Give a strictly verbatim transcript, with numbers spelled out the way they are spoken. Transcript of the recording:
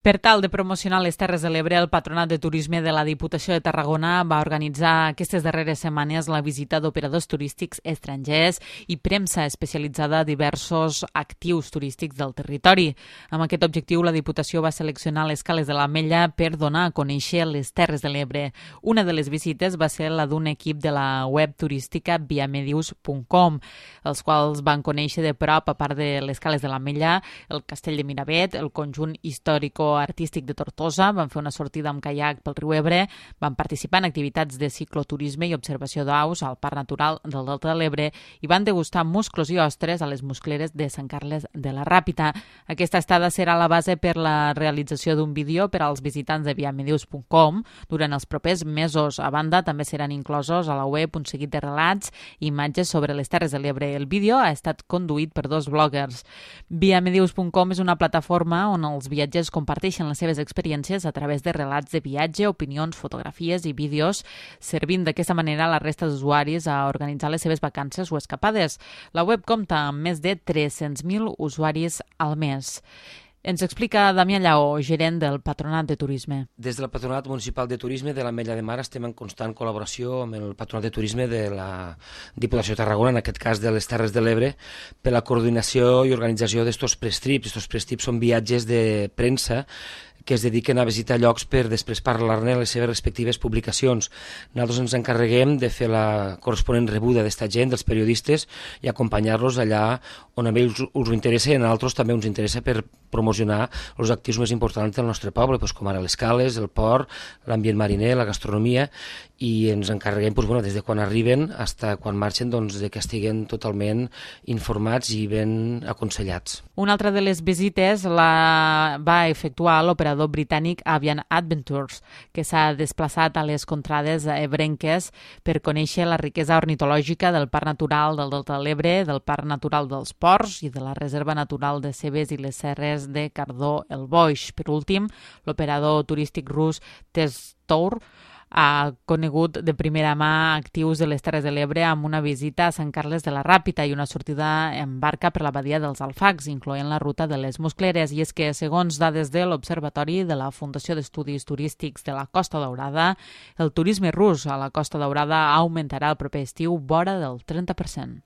Per tal de promocionar les Terres de l'Ebre, el Patronat de Turisme de la Diputació de Tarragona va organitzar aquestes darreres setmanes la visita d'operadors turístics estrangers i premsa especialitzada a diversos actius turístics del territori. Amb aquest objectiu, la Diputació va seleccionar les cales de l'Ametlla per donar a conèixer les Terres de l'Ebre. Una de les visites va ser la d'un equip de la web turística viamedius punt com, els quals van conèixer de prop, a part de les cales de l'Ametlla, el Castell de Miravet, el conjunt històric artístic de Tortosa, van fer una sortida amb caiac pel riu Ebre, van participar en activitats de cicloturisme i observació d'aus al Parc Natural del Delta de l'Ebre i van degustar musclos i ostres a les muscleres de Sant Carles de la Ràpita. Aquesta estada serà la base per la realització d'un vídeo per als visitants de viamedius punt com durant els propers mesos. A banda, també seran inclosos a la web un seguit de relats i imatges sobre les Terres de l'Ebre. El vídeo ha estat conduït per dos bloggers. viamedius punt com és una plataforma on els viatgers comparteixen les seves experiències a través de relats de viatge, opinions, fotografies i vídeos, servint d'aquesta manera a la resta d'usuaris a organitzar les seves vacances o escapades. La web compta amb més de tres-cents mil usuaris al mes. Ens explica Damià Lleó, gerent del Patronat de Turisme. Des del Patronat Municipal de Turisme de l'Ametlla de Mar estem en constant col·laboració amb el Patronat de Turisme de la Diputació de Tarragona, en aquest cas de les Terres de l'Ebre, per la coordinació i organització d'estos press-trips. Estos press-trips són viatges de premsa que es dediquen a visitar llocs per després parlar-ne a les seves respectives publicacions. Nosaltres ens encarreguem de fer la corresponent rebuda d'esta gent, dels periodistes, i acompanyar-los allà on a ells us ho interessa i a nosaltres també ens interessa per promocionar els actius més importants del nostre poble, doncs com ara les cales, el port, l'ambient mariner, la gastronomia, i ens encarreguem doncs, bueno, des de quan arriben fins quan marxen doncs, de que estiguen totalment informats i ben aconsellats. Una altra de les visites la va efectuar l'operador britànic Avian Adventures, que s'ha desplaçat a les contrades ebrenques per conèixer la riquesa ornitològica del Parc Natural del Delta de l'Ebre, del Parc Natural dels Ports i de la Reserva Natural de Cebes i les Serres de Cardó-el Boix. Per últim, l'operador turístic rus Testour ha conegut de primera mà actius de les Terres de l'Ebre amb una visita a Sant Carles de la Ràpita i una sortida en barca per la badia dels Alfacs, incloent la ruta de les Muscleres. I és que, segons dades de l'Observatori de la Fundació d'Estudis Turístics de la Costa Daurada, el turisme rus a la Costa Daurada augmentarà el proper estiu vora del trenta per cent.